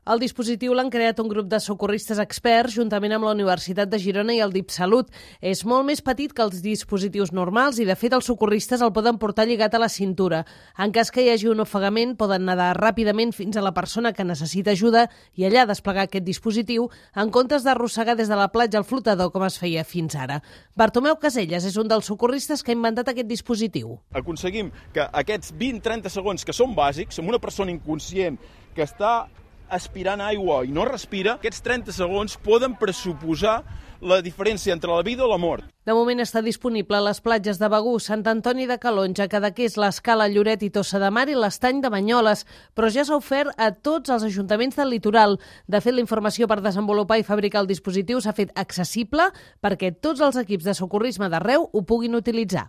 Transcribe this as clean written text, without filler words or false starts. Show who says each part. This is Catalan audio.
Speaker 1: El dispositiu l'han creat un grup de socorristes experts juntament amb la Universitat de Girona i el DIPSalut. És molt més petit que els dispositius normals i, de fet, els socorristes el poden portar lligat a la cintura. En cas que hi hagi un ofegament, poden nedar ràpidament fins a la persona que necessita ajuda i allà desplegar aquest dispositiu en comptes d'arrossegar des de la platja al flotador com es feia fins ara. Bartomeu Caselles és un dels socorristes que ha inventat aquest dispositiu.
Speaker 2: Aconseguim que aquests 20-30 segons que són bàsics, amb una persona inconscient que està aspirant aigua i no respira, aquests 30 segons poden pressuposar la diferència entre la vida i la mort.
Speaker 1: De moment està disponible a les platges de Begur, Sant Antoni de Calonge, Cadaqués, l'Escala, Lloret i Tossa de Mar i l'Estany de Banyoles, però ja s'ha ofert a tots els ajuntaments del litoral. De fet, la informació per desenvolupar i fabricar el dispositiu s'ha fet accessible perquè tots els equips de socorrisme d'arreu ho puguin utilitzar.